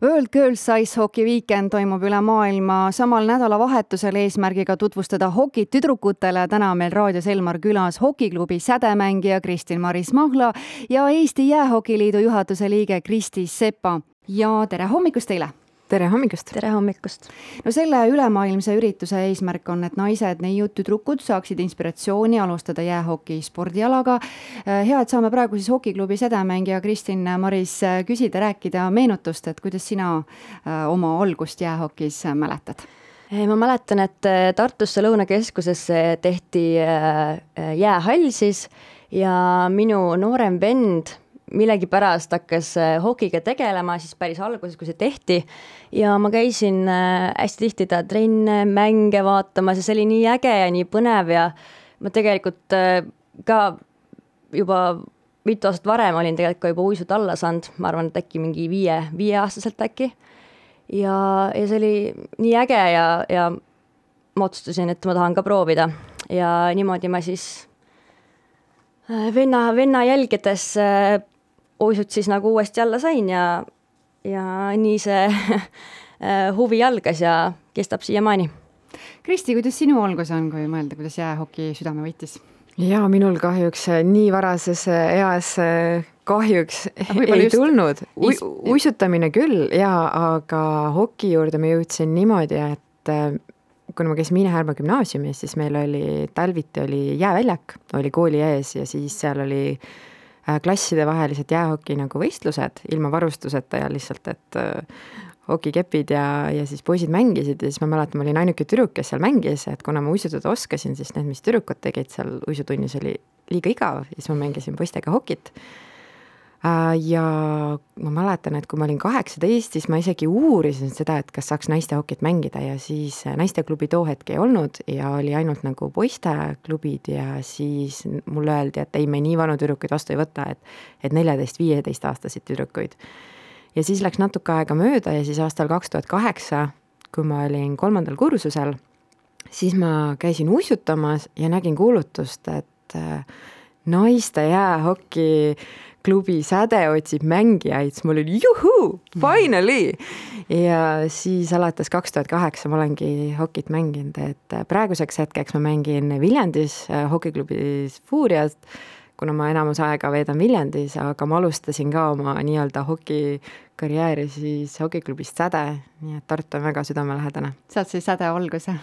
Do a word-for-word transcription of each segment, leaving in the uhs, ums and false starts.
World Girls Ice Hockey Weekend toimub üle maailma samal nädalavahetusel eesmärgiga tutvustada hokit tüdrukutele. Täna meil raadios Elmar külas hokiklubi sädemängija Kristin-Maris Mahla ja Eesti Jäähokiliidu juhatuse liige Kristi Sepa. Ja tere hommikust teile! Tere hommikust! Tere hommikust! No selle ülemaailmse ürituse eesmärk on, et naised, neiud, tüdrukud saaksid inspiratsiooni alustada jäähoki spordialaga. Hea, et saame praegu siis hokiklubi sädemängija Kristin-Maris küsida, rääkida meenutust, et kuidas sina oma algust jäähokis mäletad? Ma mäletan, et Tartusse Lõunakeskusesse tehti jäähall siis ja minu noorem vend millegi pärast hakkas hokiga tegelema siis päris alguses, kui see tehti ja ma käisin hästi tihti ta trenne, mänge vaatamas ja see oli nii äge ja nii põnev ja ma tegelikult ka juba mitu aastat varem olin tegelikult ka juba uisud alla saanud, ma arvan, et äkki mingi viie, viieaastaselt äkki ja, ja see oli nii äge ja, ja ma otsustasin, et ma tahan ka proovida ja niimoodi ma siis venna, venna jälgedes uisud siis nagu uuesti alla sain ja, ja nii see huvi algas ja kestab siiamaani. Kristi, kuidas sinu algus on, kui mõelda, kuidas jäähoki südame võitis? Ja minul kahjuks nii varases eas kahjuks ei just tulnud. U- uisutamine küll, ja, aga hoki juurde ma jõudsin niimoodi, et kuna ma käisin Miine Härma gümnaasiumis, siis meil oli talviti oli jääväljak, oli kooli ees ja siis seal oli klasside vahelised jäähoki nagu võistlused ilma varustuseta ja lihtsalt, et hokikepid ja, ja siis poisid mängisid ja siis ma mäletan, ma olin ainuke tüdruk, kes seal mängis, et kuna ma uisutada oskasin, siis need, mis tüdrukud tegid seal uisutunnis oli liiga igav ja siis ma mängisin poistega hokit. Ja ma mäletan, et kui ma olin kaheksateist, siis ma isegi uurisin seda, et kas saaks naiste hokit mängida ja siis naisteklubi too hetk ei olnud ja oli ainult nagu poisteklubid ja siis mulle öeldi, et ei, me nii vanu tüdrukuid vastu ei võta, et, et neljateist viieteist aastasid tüdrukuid. Ja siis läks natuke aega mööda ja siis aastal kaks tuhat kaheksa, kui ma olin kolmandal kursusel, siis ma käisin uisutamas ja nägin kuulutust, et naiste jäähoki klubi Säde otsib mängijaid, siis mul oli juhuu, finally! Ja siis alates kaks tuhat kaheksa ma olengi hokit mänginud, et praeguseks hetkeks ma mängin Viljandis hokiklubis Fuuriast, kuna ma enamus aega veedan Viljandis, aga ma alustasin ka oma nii-öelda hokikarjääri siis hokiklubist Säde, nii et Tartu on väga südamelähedane. Sealt siis Säde alguse.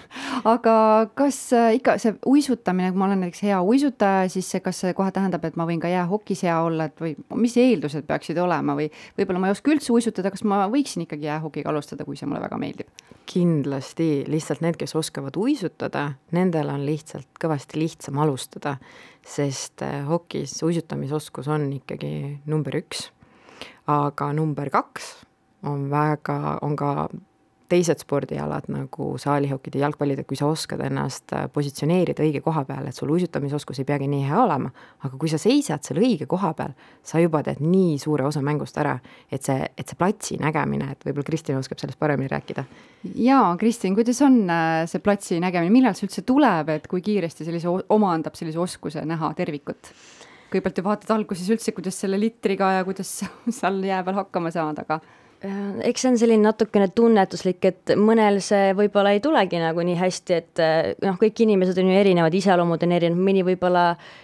Aga kas ikka see uisutamine, kui ma olen näiteks hea uisutaja, siis see, kas see kohe tähendab, et ma võin ka jäähokis hea olla, et või mis eeldused peaksid olema või võib-olla ma ei oska üldse uisutada, kas ma võiksin ikkagi jäähokiga alustada, kui see mulle väga meeldib? Kindlasti, lihtsalt need, kes oskavad uisutada, nendel on lihtsalt kõvasti lihtsam alustada, sest hokis uisutamisoskus on ikkagi number üks, aga number kaks on väga, on ka teised spordialad nagu saalihokid ja jalgpallid, et kui sa oskad ennast positsioneerida õige koha peal, et sul uisutamisoskus ei peagi nii hea olema, aga kui sa seisad seal õige koha peal, sa juba teed nii suure osa mängust ära, et see, et see platsi nägemine, et võib-olla Kristin oskab sellest paremini rääkida. Jaa, Kristin, kuidas on see platsi nägemine, millal see üldse tuleb, et kui kiiresti sellise omandab sellise oskuse näha tervikut? Kõigepealt ju vaatad alguses üldse, kuidas selle litriga ja kuidas seal jää peal hakkama saada, aga eks see on selline natukene tunnetuslik, et mõnel see võib-olla ei tulegi nagu nii hästi, et noh, kõik inimesed on ju erinevad, iseloomud on erinevad, mõni võib-olla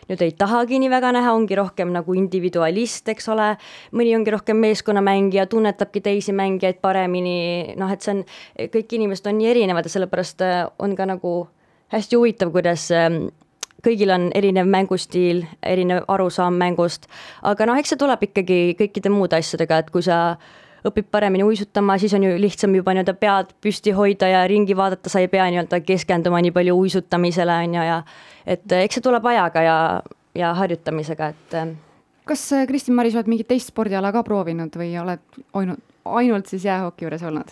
nüüd ei tahagi nii väga näha, ongi rohkem nagu individualist, eks ole, mõni ongi rohkem meeskonnamängija, tunnetabki teisi mängijaid paremini, noh, et see on, kõik inimesed on nii erinevad ja sellepärast on ka nagu hästi huvitav, kuidas kõigil on erinev mängustiil, erinev arusaam mängust, aga noh, eks see tuleb ikkagi kõikide muude asjadega, et kui sa õpib paremini uisutama, siis on ju lihtsam juba nii-öelda pead püsti hoida ja ringi vaadata, sa ei pea nii-öelda keskenduma nii palju uisutamisele on ju, ja et eks see tuleb ajaga ja, ja harjutamisega, et kas Kristin-Maris oled mingit teist spordiala ka proovinud või oled ainult, ainult siis jäähoki juures olnud?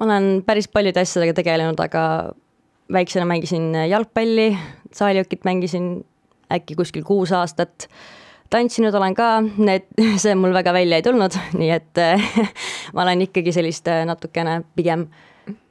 Ma olen päris paljude asjadega tegelenud, aga väiksena mängisin jalgpalli, saalihokit mängisin äkki kuskil kuus aastat, tantsinud olen ka, need, see mul väga välja ei tulnud, nii et ma olen ikkagi sellist natukene pigem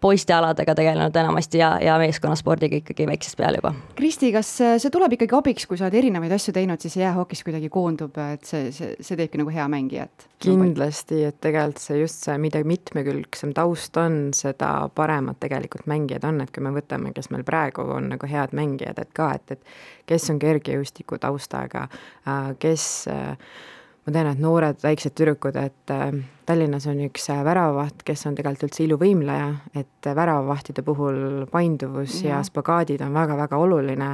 poistealadega tegelenud enamasti ja, ja meeskonnaspordiga ikkagi väiksest peale juba. Kristi, kas see tuleb ikkagi abiks, kui sa oled erinevaid asju teinud, siis jäähokis kuidagi koondub, et see, see, see teebki nagu hea mängijat? Kindlasti, et tegelikult see just see, mida mitmekülgsem taust on, seda paremad tegelikult mängijad on, et kui me võtame, kes meil praegu on nagu head mängijad, et ka, et, et kes on kergejõustiku taustaga, kes ma tean, et noored väiksed tüdrukud, et Tallinnas on üks väravavaht, kes on tegelikult üldse iluvõimleja, et väravavahtide puhul painduvus ja, ja spagaadid on väga-väga oluline,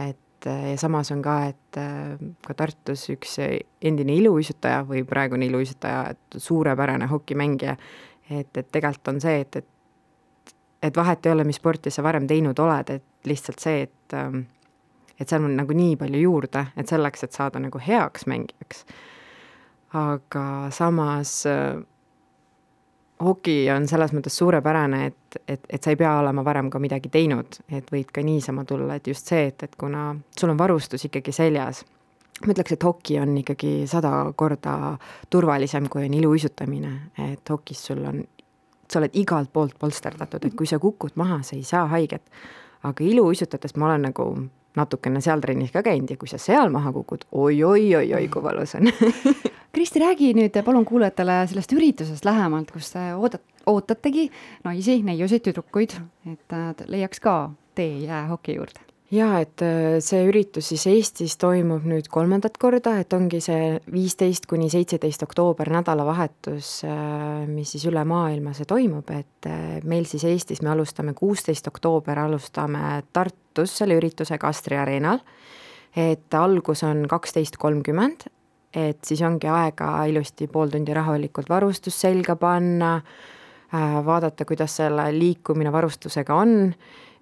et ja samas on ka, et ka Tartus üks endine iluuisutaja või praegune iluuisutaja, et suurepärane hokimängija, et, et tegelikult on see, et, et, et vahet ei ole, mis sporti sa varem teinud oled, et lihtsalt see, et et seal on nagu nii palju juurde, et selleks, et saada nagu heaks mängijaks. Aga samas äh, hoki on selles mõttes suurepärane, et, et, et sa ei pea olema varem ka midagi teinud, et võid ka niisama tulla, et just see, et, et kuna sul on varustus ikkagi seljas, ma ütleks, et hoki on ikkagi sada korda turvalisem, kui on iluuisutamine, et hokis sul on, sa oled igalt poolt polsterdatud, et kui sa kukud maha, sa ei saa haiget, aga iluuisutades ma olen nagu natukene seal trennis ka käinud ja kui sa seal maha kukud, oi, oi, oi, oi, kui valus on. Kristi, räägi nüüd palun kuulajatele sellest üritusest lähemalt, kus te oodat, ootategi naisi, neiusid, tüdrukuid, et leiaks ka tee jäähoki juurde. Jaa, et see üritus siis Eestis toimub nüüd kolmandat korda, et ongi see viisteist kuni seitseteist oktoober nädalavahetus, mis siis üle maailma see toimub, et meil siis Eestis me alustame kuusteist oktoober, alustame Tartus selle üritusega Astri Areenal, et algus on kaksteist kolmkümmend, et siis ongi aega ilusti pool tundi rahulikult varustus selga panna, vaadata, kuidas selle liikumine varustusega on,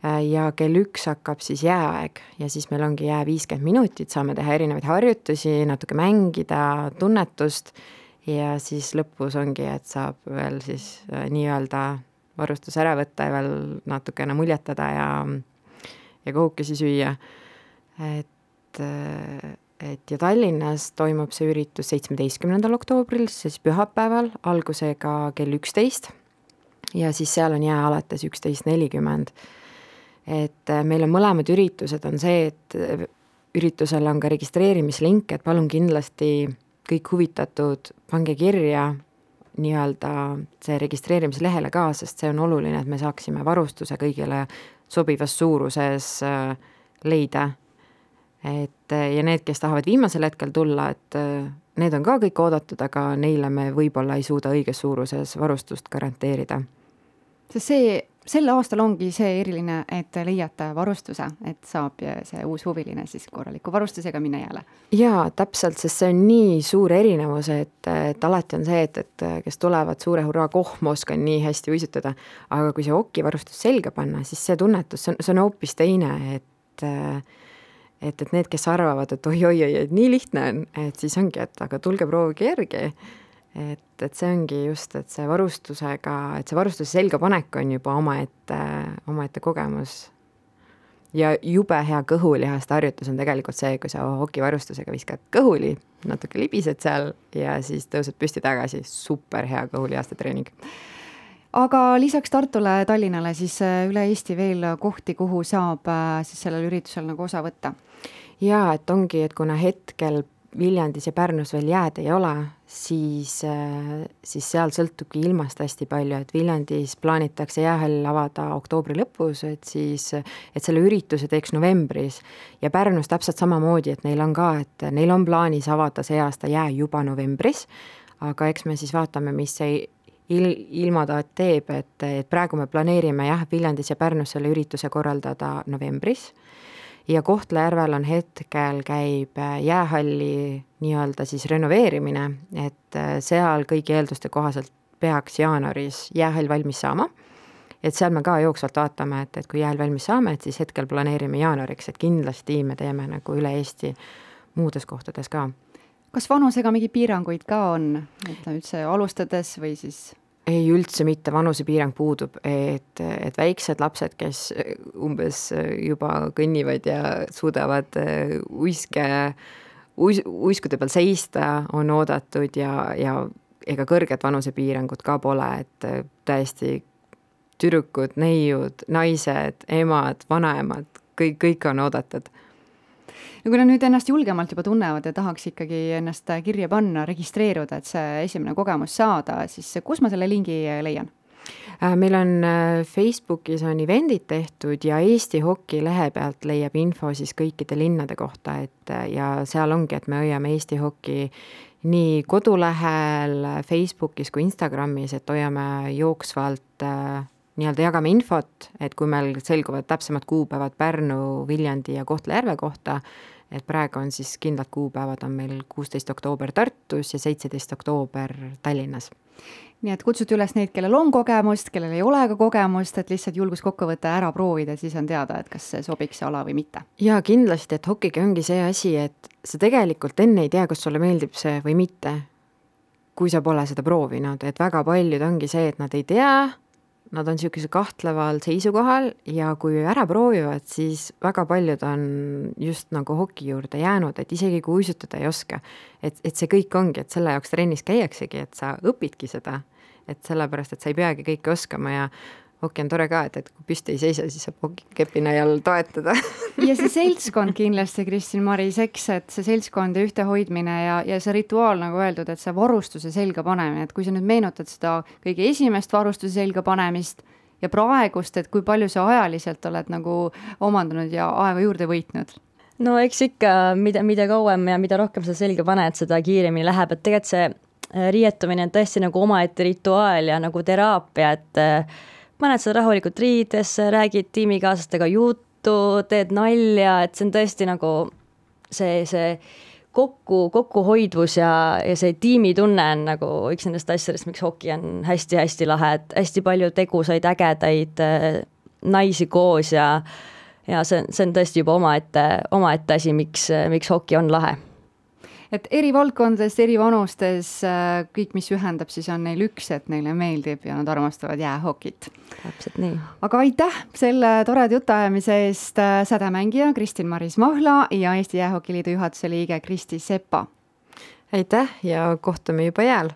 ja kell üks hakkab siis jääaeg ja siis meil ongi jää viiskümmend minutit, saame teha erinevaid harjutusi, natuke mängida, tunnetust ja siis lõpus ongi, et saab veel siis nii-öelda varustus ära võtta ja veel natukene muljetada ja, ja kookesi süüa. Et, et ja Tallinnas toimub see üritus seitsmeteistkümnendal oktoobril, siis pühapäeval, algusega kell üksteist ja siis seal on jää alates üksteist nelikümmend. Et meil on mõlemad üritused on see, et üritusel on ka registreerimislink, et palun kindlasti kõik huvitatud, pange kirja nii-öelda see registreerimislehele ka, sest see on oluline, et me saaksime varustuse kõigile sobivas suuruses leida. Et, ja need, kes tahavad viimasel hetkel tulla, et need on ka kõik oodatud, aga neile me võib-olla ei suuda õiges suuruses varustust garanteerida. Sest see Selle aastal ongi see eriline, et leiate varustuse, et saab see uus huviline siis korraliku varustusega minna jälle. Jaa, täpselt, sest see on nii suur erinevus, et, et alati on see, et, et kes tulevad suure hurraa kohma, oskan nii hästi uisutada, aga kui see hokivarustus selga panna, siis see tunnetus, see on, see on hoopis teine, et, et, et need, kes arvavad, et oi, oi, oi, et nii lihtne on, et siis ongi, et aga tulge proovige järgi. Et, et see ongi just, et see varustusega, et see varustuse selga panek on juba omaette, omaette kogemus. Ja jube hea kõhulihaste harjutus on tegelikult see, kui sa hokivarustusega viskad kõhuli, natuke libised seal ja siis tõused püsti tagasi. Super hea kõhulihaste treening. Aga lisaks Tartule, Tallinnale siis üle Eesti veel kohti, kuhu saab siis sellel üritusel nagu osa võtta? Jaa, et ongi, et kuna hetkel Viljandis ja Pärnus veel jääd ei ole, siis, siis seal sõltubki ilmast hästi palju, et Viljandis plaanitakse jäähall avada oktoobri lõpus, et siis, et selle ürituse teeks novembris ja Pärnus täpselt samamoodi, et neil on ka, et neil on plaanis avada see aasta jää juba novembris, aga eks me siis vaatame, mis see il, ilmataat teeb, et, et praegu me planeerime jah, Viljandis ja Pärnus selle ürituse korraldada novembris. Ja Kohtla-Järvel on hetkel käib jäähalli nii-öelda siis renoveerimine, et seal kõigi eelduste kohaselt peaks jaanuaris jäähall valmis saama. Et seal me ka jooksvalt vaatame, et, et kui jäähall valmis saame, et siis hetkel planeerime jaanuariks, et kindlasti me teeme nagu üle Eesti muudes kohtades ka. Kas vanusega mingi piiranguid ka on, et üldse alustades või siis... Ei üldse mitte, vanusepiirang puudub, et, et väiksed lapsed, kes umbes juba kõnnivad ja suudavad uiske, uis, uiskude peal seista, on oodatud ja, ja ega kõrget vanusepiirangut ka pole, et täiesti tüdrukud, neiud, naised, emad, vanaemad, kõik, kõik on oodatud. Ja kui nad nüüd ennast julgemalt juba tunnevad ja tahaks ikkagi ennast kirja panna, registreeruda, et see esimene kogemus saada, siis kus ma selle lingi leian? Meil on Facebookis on eventid tehtud ja Eesti Hoki lehe pealt leiab info siis kõikide linnade kohta, et ja seal ongi, et me hoiame Eesti Hoki nii kodulehel, Facebookis kui Instagramis, et hoiame jooksvalt, nii-öelda jagame infot, et kui meil selguvad täpsemad kuupäevad Pärnu, Viljandi ja Kohtla-Järve kohta, et praegu on siis kindlad kuupäevad on meil kuusteist oktoober Tartus ja seitseteist oktoober Tallinnas. Nii et kutsute üles neid, kellel on kogemust, kellel ei ole ka kogemust, et lihtsalt julgus kokku võtta ära proovida, siis on teada, et kas see sobiks see ala või mitte. Ja kindlasti, et hokiga ongi see asi, et sa tegelikult enne ei tea, kas sulle meeldib see või mitte, kui sa pole seda proovinud, et väga paljud ongi see, et nad ei tea, nad on niisuguse kahtleval seisukohal ja kui ära proovivad, siis väga paljud on just nagu hoki juurde jäänud, et isegi kui uisutada ei oska, et, et see kõik ongi, et selle jaoks trennis käiaksegi, et sa õpidki seda, et sellepärast, et sa ei peagi kõike oskama ja hoki on tore ka, et, et kui püsti ei seisa, siis saab hokikepi najal toetada. Ja see seltskond kindlasti, Kristin Maris, eks, et see seltskond ja ühtehoidmine ja, ja see rituaal, nagu öeldud, et see varustuse selga panemine, et kui sa nüüd meenutad seda kõige esimest varustuse selga panemist ja praegust, et kui palju sa ajaliselt oled nagu omandanud ja aega juurde võitnud? No eks ikka, mida, mida kauem ja mida rohkem sa selga paned, seda kiiremini läheb, et tegelikult see riietumine on tõesti nagu omaette rituaal ja nagu teraapia, et paned seda rahulikult riidesse, räägid tiimikaaslastega juttu, teed nalja, et see on tõesti nagu see, see kokku, kokkuhoidvus ja, ja see tiimitunne on nagu üks nendest asjadest, miks hoki on hästi-hästi lahe, et hästi palju tegusaid, ägedaid naisi koos ja, ja see, see on tõesti juba omaette, omaette asi, miks, miks hoki on lahe. Et eri valdkondades, eri vanustes, kõik, mis ühendab, siis on neil üks, et neile meeldib ja nad armastavad jäähokit. Täpselt nii. Aga aitäh selle toreda jutuajamise eest sädemängija Kristin Maris Mahla ja Eesti Jäähokiliidu juhatuse liige Kristi Sepa. Aitäh ja kohtume juba jääl!